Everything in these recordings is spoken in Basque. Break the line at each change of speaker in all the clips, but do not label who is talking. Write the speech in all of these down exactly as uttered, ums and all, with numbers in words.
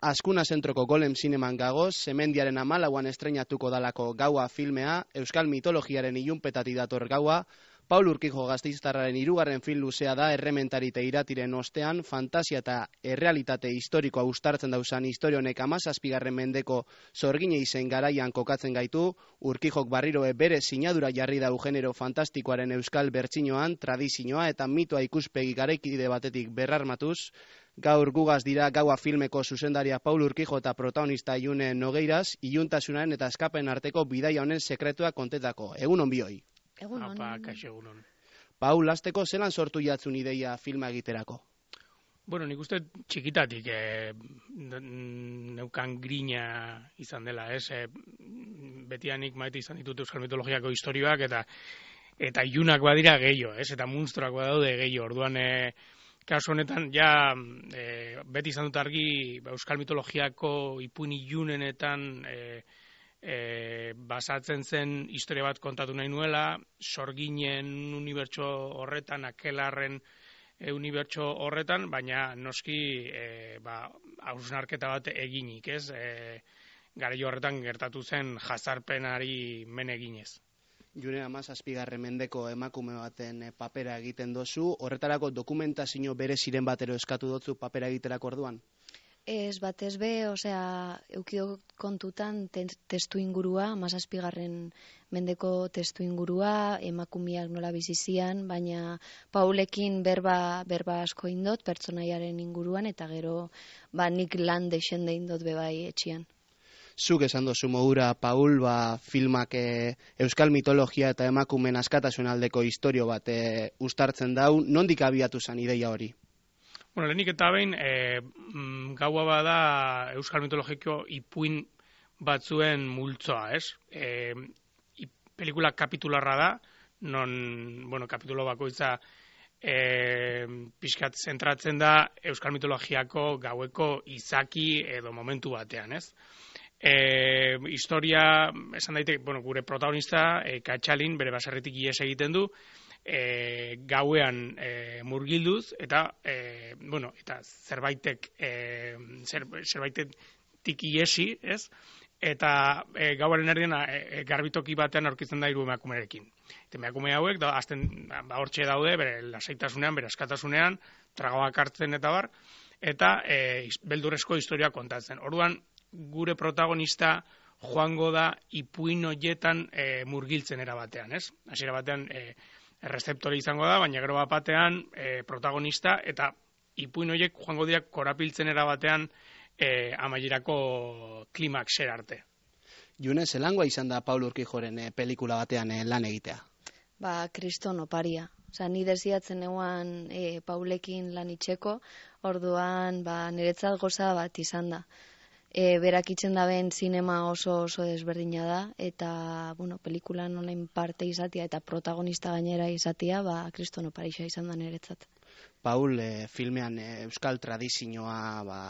Azkuna zentroko Golem Zineman gagoz, Semendiaren hamalauan estreinatuko dalako Gaua filmea, euskal mitologiaren ilunpetatik dator gaua, Paul Urkijo gasteiztarraren hirugarren film luzea da Errementarite iratiren ostean, fantasia eta errealitate historikoa uztartzen dauzan historia honek hamazazpigarren mendeko zorgine izen garaian kokatzen gaitu, Urkijok barriroe bere sinadura jarri dau genero fantastikoaren euskal bertsinoan, tradizioa eta mitoa ikuspegi garaikide batetik berrarmatuz. Gaur gugaz dira Gaua filmeko zuzendaria Paul Urkijo eta protagonista June Nogeiraz, iluntasunaren eta eskapen arteko bidaia honen sekretua kontetako. Egun on bioi.
Egun on. Apa, kaixo egun on.
Paul, hasteko zelan sortu jatzun ideia filma egiterako?
Bueno, nik uste txikitatik eh, neukan grina izan dela, ez? Eh, betianik maite izan ditut euskal mitologiako historioak eta eta ilunak badira gehiago, ez? Eta munstruak badaude gehiago. Orduan, eh, kasu honetan, ja, eh, beti izan dut argi euskal mitologiako ipuin ilunenetan eh, E, basatzen zen historia bat kontatu nahi nuela, sorginen unibertso horretan, akelarren e, unibertso horretan, baina noski e, ba, hausnarketa bat eginik, ez? E, Garaio horretan gertatu zen jazarpenari men eginez.
June hamazazpigarren mendeko emakume baten papera egiten dozu, horretarako dokumentazio bere ziren batero eskatu dotzu papera egiterako orduan?
Ez batez be, osea, eukio kontutan te, testu ingurua, hamazazpigarren mendeko testu ingurua, emakumeak nola bizizian, baina Paulekin berba, berba asko indot, pertsonaiaren inguruan, eta gero ba, nik lan deixende indot bebai etxian.
Zuk esan dozu modura, Paul, ba, filmak e, euskal mitologia eta emakumeen askatasun aldeko historio bat e, uztartzen dau, nondik abiatu zen ideia hori?
Bueno, lehenik eta behin, e, gaua bada euskal mitologiko ipuin batzuen multzoa, ez? E, pelikula kapitularra da, non, bueno, kapitulo bakoitza e, pixkat zentratzen da euskal mitologiako gaueko izaki edo momentu batean, ez? E, historia, esan daiteke, bueno, gure protagonista, e, Katxalin, bere baserritik ihes egiten du, E, gauean e, murgilduz eta e, bueno, eta zerbaitek e, zer, zerbaitek iesi, ez? Eta e, gauaren erdian e, garbitoki batean aurkitzen da hiru emakumerekin. Eta emakume hauek da azten ba hortxe daude bere lasaitasunean, bere askatasunean, tragoak hartzen eta bar, eta e, beldurrezko historia kontatzen. Orduan gure protagonista joango da ipuin hoietan e, murgiltzen era batean, ez? Hasiera batean e, errezeptore izango da, baina gero batean e, protagonista eta ipuin horiek joango diak korapiltzen erabatean e, amaierako klimaxer arte.
June, zelangoa izan da Paul Urkijoren e, pelikula batean e, lan egitea?
Ba, kriston oparia. Osa, ni desiatzen eguan e, Paulekin lan itxeko, orduan ba, niretzat goza bat izan da. E, berak itzen daben zinema oso oso desberdina da, eta, bueno, pelikulan online parte izatea eta protagonista gainera izatea, ba, kriston oparixa izan da niretzat.
Paul, e, filmean e, euskal tradizioa, ba,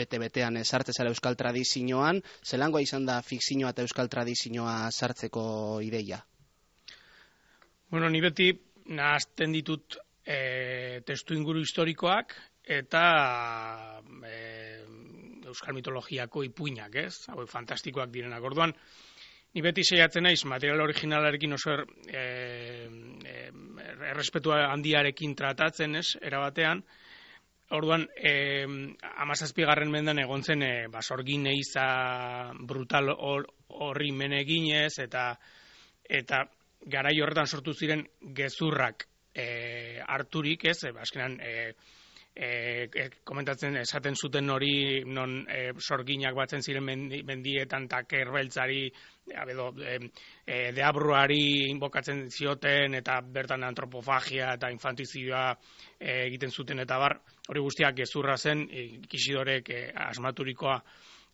bete-betean e, sartze zara euskal tradizioan, zelangoa izan da fikzioa eta euskal tradizioa sartzeko ideia?
Bueno, ni beti nahazten ditut e, testu inguru historikoak eta e, euskal mitologiako ipuinak, ez? Hauek fantastikoak direnak. Orduan, ni beti saiatzen naiz material originalarekin oso er, e, e, errespetua handiarekin tratatzen, ez? Erabatean. Orduan, e, hamazazpigarren mendan egon zen e, basorgin eiza brutal horri or, meneginez eta eta garai horretan sortu ziren gezurrak e, harturik, ez? E, azkenan e, E, e, komentatzen esaten zuten hori non e, sorginak batzen ziren mendi, mendietan eta kerbeltzari edo e, e, deabruari inbokatzen zioten eta bertan antropofagia eta infantizioa e, egiten zuten eta bar hori guztiak gezurra zen e, Ikisidorek e, asmaturikoa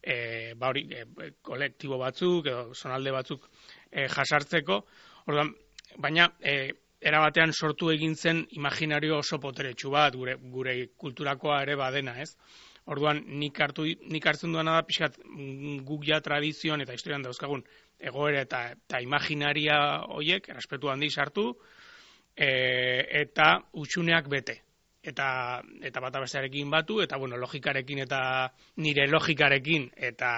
e, ba hori e, kolektibo batzuk edo zonalde batzuk e, jasartzeko. Orduan, baina e, era batean sortu egin zen imaginario oso poteretsu bat, gure, gure kulturakoa ere badena, ez? Orduan, nik, hartu, nik hartzen duena da, pixkat, guk ja tradizioan eta historian dauzkagun egoera eta, eta imaginaria horiek, errespetu handi sartu, e, eta utxuneak bete. eta eta bata bestearekin batu, eta bueno, logikarekin eta nire logikarekin eta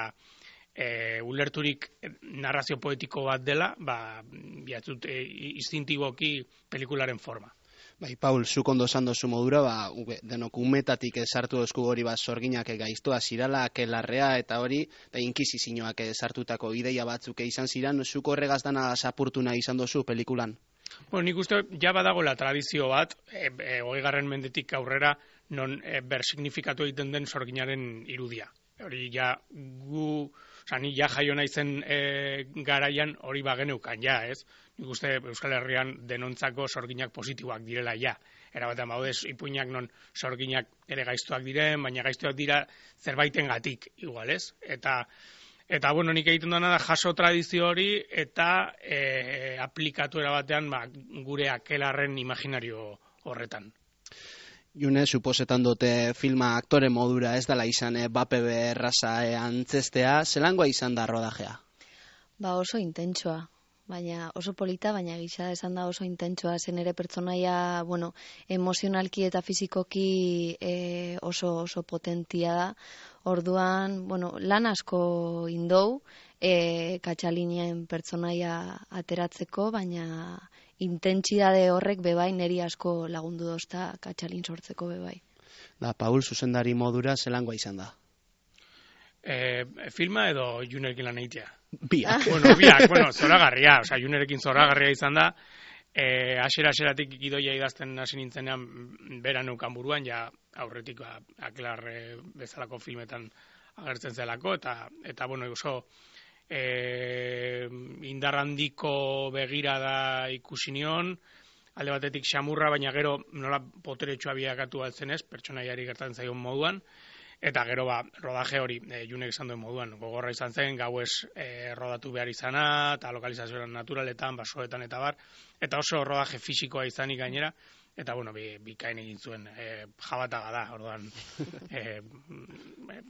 e, ulerturik narrazio poetiko bat dela, ba, biatzut e, instintiboki pelikularen forma.
Bai, Paul, zuk ondo esan dozu modura, ba, denok umetatik sartu dozku hori ba, sorginak gaiztoa zirala, akelarrea eta hori, eta inkisizioak sartutako ideia batzuk izan ziran, zuk horregaz dana zapurtu nahi izan dozu pelikulan?
Bueno, nik uste, ja badagoela tradizio bat, e, e, hogeigarren mendetik aurrera, non e, bersignifikatu egiten den sorginaren irudia. Hori ja gu, oza, ni ja jaio naizen e, garaian hori bageneukan, ja, ez? Nik uste Euskal Herrian denontzako sorginak positiboak direla, ja. Erabatean baude ipuinak non sorginak ere gaiztuak diren, baina gaiztuak dira zerbaitengatik, igual, ez? Eta, eta bueno, nik egiten dena da jaso tradizio hori eta e, aplikatu erabatean ba, gure akelarren imaginario horretan.
June, suposetan dute filma aktore modura ez dela izan e, bape berraza e, antzestea, zelangoa izan da rodajea?
Ba oso intentsoa, baina oso polita, baina gisa esan da oso intentsoa, zen ere pertsonaia, bueno, emozionalki eta fizikoki e, oso oso potentia da. Orduan, bueno, lan asko indou, e, Katxalinien pertsonaia ateratzeko, baina intentsitate horrek bebai neri asko lagundu dozta Katxalin sortzeko bebai.
Da, Paul, zuzendari modura zelangoa izan da?
E, filma edo Junerekin lan egitea?
Biak.
Bueno, biak, bueno, zoragarria, osea, Junerekin zoragarria izan da, e, asera-aseratik gidoia idazten hasi nintzenean bera neukan buruan, ja aurretik ba, aklar e, bezalako filmetan agertzen zelako, eta, eta bueno, oso e, indarrandiko begirada ikusi nion, alde batetik xamurra, baina gero nola poteretsua biakatu altzen ez, pertsonaiari gertatzen zaion moduan, eta gero ba, rodaje hori, e, Junek esan duen moduan, gogorra izan zen, gauez e, rodatu behar izana, eta lokalizazioan naturaletan, basoetan eta bar, eta oso rodaje fisikoa izanik gainera, eta bueno, bi, bikain egin zuen, e, jabataga da, orduan, e, e,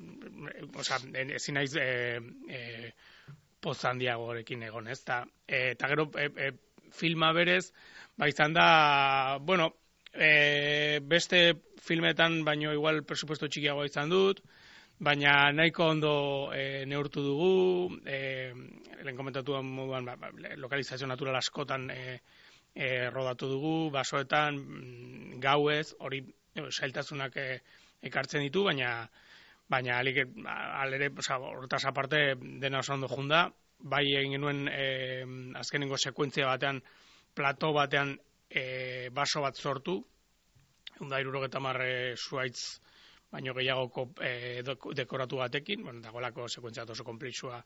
oza, ezin naiz e, e, poz handiagorekin egon, ez, eta, e, eta gero e, e, filma berez, ba izan da, bueno, E, beste filmetan baino igual presupuesto txikiagoa izan dut, baina nahiko ondo e, neurtu dugu, e, lehen komentatuan moduan ba, ba, lokalizazio natural askotan e, e, rodatu dugu, basoetan, gauez, hori e, zailtasunak e, ekartzen ditu, baina baina alik, alere, horretaz aparte dena oso ondo junda, bai egin genuen e, azkenengo sekuentzia batean, plato batean, E, baso bat sortu, da hirurogeta hamar zuaitz baino gehiagoko e, dekoratu batekin, bueno, dagoelako sekuentzia oso konplexua,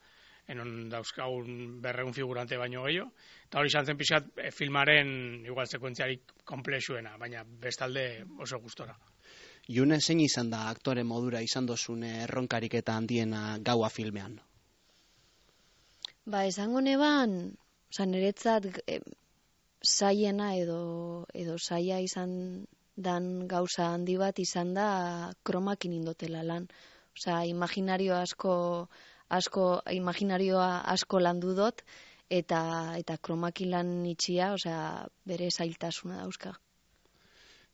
enon dauzkagun berreun figurante baino gehiago, eta hori izan zen pixat e, filmaren igual sekuentziarik konplexuena, baina bestalde oso gustora.
June, zein izan da aktore modura izan dozun erronkarik eta handiena gaua filmean?
Ba, esango neban, oza, niretzat e, zaiena edo, edo zaia izan dan gauza handi bat izan da kromakin indotela lan. Osea, imaginario asko, asko, imaginarioa asko landu dut, eta, eta kromakin lan itxia, osea, bere zailtasuna dauzka.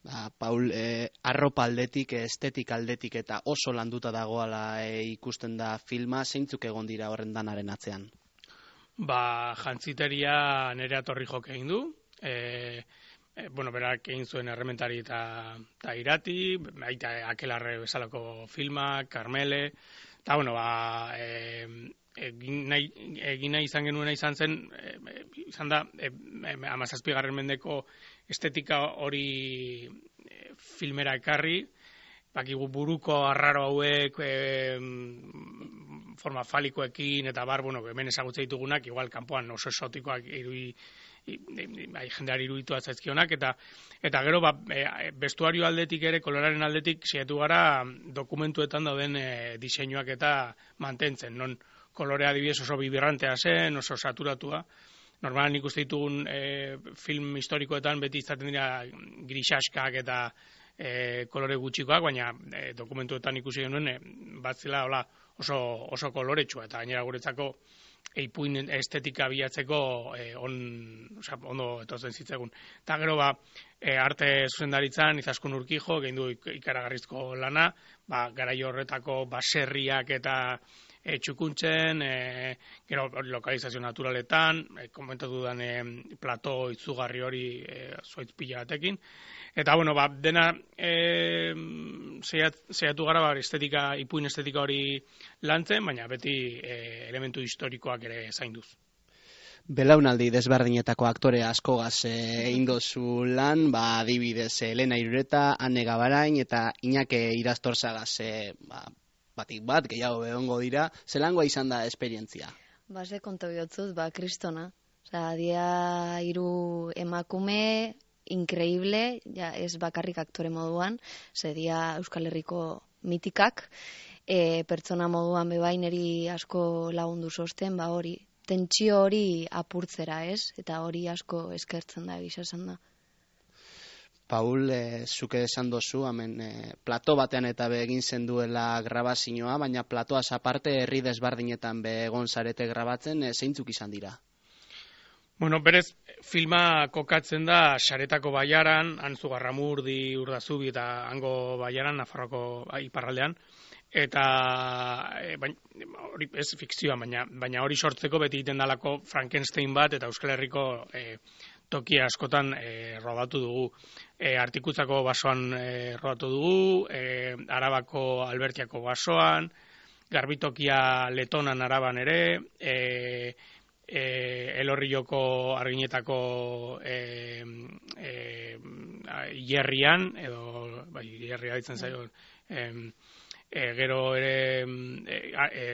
Ba, Paul, eh, arropa aldetik, estetik aldetik eta oso landuta dagoala eh, ikusten da filma, zeintzuk egon dira horren danaren atzean?
Ba, jantziteria nere atorri jok egin du, e, e, bueno, berak egin zuen errementari eta, eta irati, baita akelarre bezalako filmak, Karmele, eta bueno, ba, e, egin, nahi, egin nahi izan genuena izan zen, e, izan da, e, amazazpigarren mendeko estetika hori e, filmera ekarri, bakigu buruko arraro hauek, e, forma falikoekin eta bar, bueno, hemen ezagutzen ditugunak, igual kanpoan oso esotikoak irui, bai, jendeari iruditu zaizkionak, eta eta gero ba, e, bestuario aldetik ere, koloraren aldetik, saiatu gara dokumentuetan dauden e, diseinuak eta mantentzen, non kolorea adibidez oso bibirrantea zen, oso saturatua. Normalan nik uste ditugun e, film historikoetan beti izaten dira grisaskak eta e, kolore gutxikoak, baina e, dokumentuetan ikusi genuen e, bat zela hola, oso, oso koloretsua, eta gainera guretzako ipuin estetika bilatzeko e, on, oza, ondo etortzen zitzegun. Eta gero ba, e, arte zuzendaritzan Izaskun Urkijo, gehin du ikaragarrizko lana, ba, garai horretako baserriak eta e, txukuntzen, e, gero lokalizazio naturaletan, e, komentatu dudan e, plato itzugarri hori e, zuaitz pila batekin. Eta, bueno, ba, dena e, zeiatu gara ba, estetika, ipuin estetika hori lantzen, baina beti e, elementu historikoak ere zainduz.
Belaunaldi desberdinetako aktore askogaz egin dozu lan, ba, adibidez Elena Irureta, Ane Gabarain eta Iñake Irastorzagaz e, ba, batik bat, gehiago egongo dira, zelangoa izan da esperientzia?
Ba, ze konta bihotzut, ba, kristona. Osa, dia hiru emakume, increíble, ja, ez bakarrik aktore moduan, ze dia Euskal Herriko mitikak, e, pertsona moduan bebaineri asko lagundu sosten, ba hori, tentsio hori apurtzera, ez? Eta hori asko eskertzen da, egisa esan da.
Paul, e, zuke esan dozu, hemen e, plato batean eta be egin zen duela grabazioa, baina platoaz aparte herri desberdinetan be egon zarete grabatzen, e, zeintzuk izan dira?
Bueno, berez, filma kokatzen da Saretako Baiaran, Antzugarramurdi, Urdazubi eta hango Baiaran, Nafarroko iparraldean, eta e, baina, hori ez fikzioa, baina, baina hori sortzeko beti egiten dalako Frankenstein bat eta Euskal Herriko e, toki askotan e, rodatu dugu. E, Artikutzako basoan e, rodatu dugu, e, Arabako Albertiako basoan, Garbitokia Letonan Araban ere, e, E, Elorrioko Arginetako e, e, Ierrian, edo bai, Ierria ditzen zaio, e, e, gero ere e, e,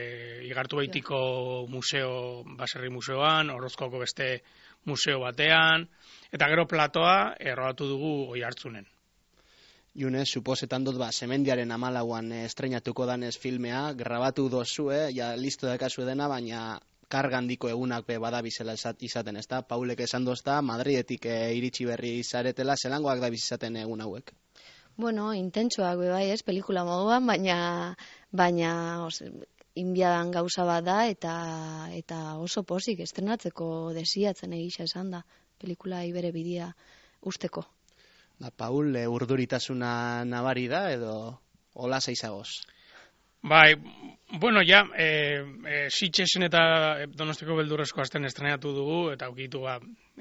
Igartu Baitiko museo, baserri museoan, Orozkoko beste museo batean, eta gero platoa errodatu dugu Oiartzunen.
June, suposetan dut, ba, Semendiaren amalauan estreinatuko danez filmea, grabatu dozue, ja listo dakazu dena, baina karga handiko egunak be badabizela izaten, ezta? Paulek esan dozta, Madridetik e, iritsi berri zaretela, zelangoak da bizizaten egun hauek?
Bueno, intentsuak be bai, ez, pelikula moduan, baina baina os, inbiadan gauza bat da eta eta oso posik estrenatzeko desiatzen egisa esan da, pelikula ibere bidea usteko.
Ba, Paul, e, urduritasuna nabari da edo hola zaizagoz?
Bai, bueno, ja, e, e, Sitxesen eta Donostiko beldurrezko asten estrenatu dugu, eta aukitu ba,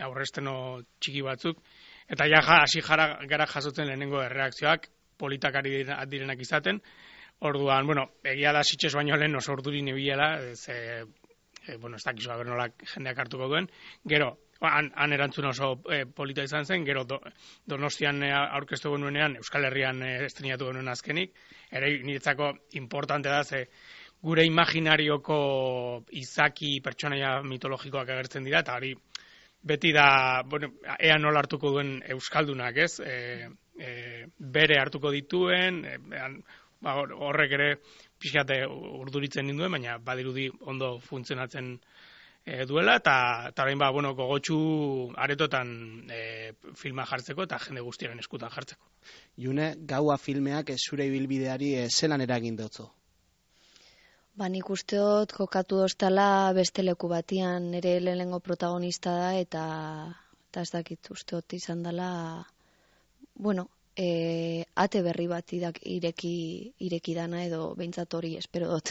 aurresteno txiki batzuk, eta ja, hasi jara gara jasotzen lehenengo erreakzioak, politak ari direnak izaten, orduan, bueno, egia da Sitxes baino lehen oso urduri nebilela, ez, e, e, bueno, ez dakizu haber nola jendeak hartuko duen, gero, han, han erantzun oso e, polita izan zen, gero do, Donostian e, aurkeztu genuenean, Euskal Herrian e, estrenatu genuen azkenik, ere niretzako importante da, ze gure imaginarioko izaki pertsonaia mitologikoak agertzen dira, eta hori beti da, bueno, ea nola hartuko duen Euskaldunak, ez? E, e, bere hartuko dituen, e, ba, horrek ere pixkate urduritzen ninduen, baina badirudi ondo funtzionatzen e, duela, eta orain ba, bueno, gogotsu aretotan e, filma jartzeko eta jende guztiaren eskutan jartzeko.
June, gaua filmeak zure ibilbideari e, zelan eragin dotzo?
Ba, nik usteot kokatu doztala beste leku batian, nire lehenengo protagonista da, eta, eta ez dakit usteot izan dela, bueno, e, ate berri bat idak, ireki, ireki dana edo behintzat hori espero dut.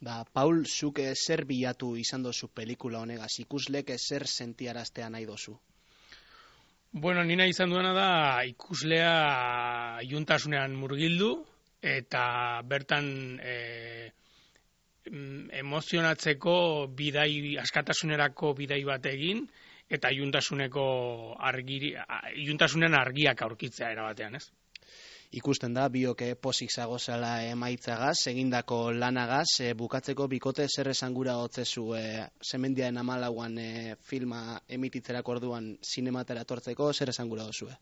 Ba, Paul, zuk zer bilatu izan dozu pelikula honegaz, ikuslek zer sentiaraztea nahi dozu?
Bueno, nina izan duena da ikuslea iuntasunean murgildu, eta bertan e, emozionatzeko bidai, askatasunerako bidai bat egin, eta iuntasuneko argiri, iuntasunen argiak aurkitzea erabatean, ez?
Ikusten da, bioke pozik zagozela emaitzagaz, egindako lanagaz, e, bukatzeko bikote zer esangura hotzezu e, Semendiaren amalauan e, filma emititzerako orduan zinematera tortzeko, zer esangura dozue?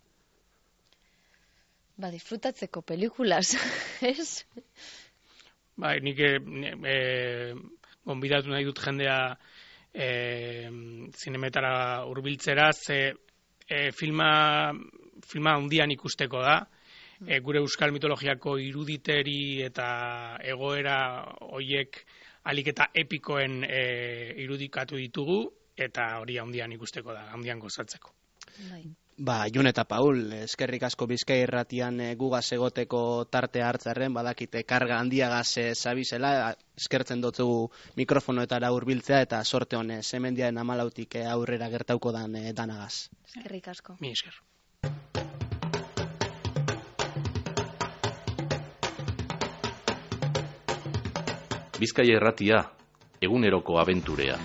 Ba, disfrutatzeko pelikulas, ez?
Bai, nik e, e, gonbidatu nahi dut jendea e, zinemetara hurbiltzera, ze e, filma, filma handian ikusteko da, e, gure euskal mitologiako iruditeri eta egoera hoiek alik eta epikoen e, irudikatu ditugu, eta hori handian ikusteko da, handian gozatzeko.
Bai.
Ba, Jun eta Paul, eskerrik asko Bizkai Irratian e, gugaz egoteko tartea hartzarren, badakite karga handiagaz e, zabizela, eskertzen dutzugu mikrofonoetara hurbiltzea eta sorte honez, hemendiaren amalautik e, aurrera gertauko dan e, danagaz.
Eskerrik asko.
Mi esker.
Bizkaia Irratia, eguneroko abenturea.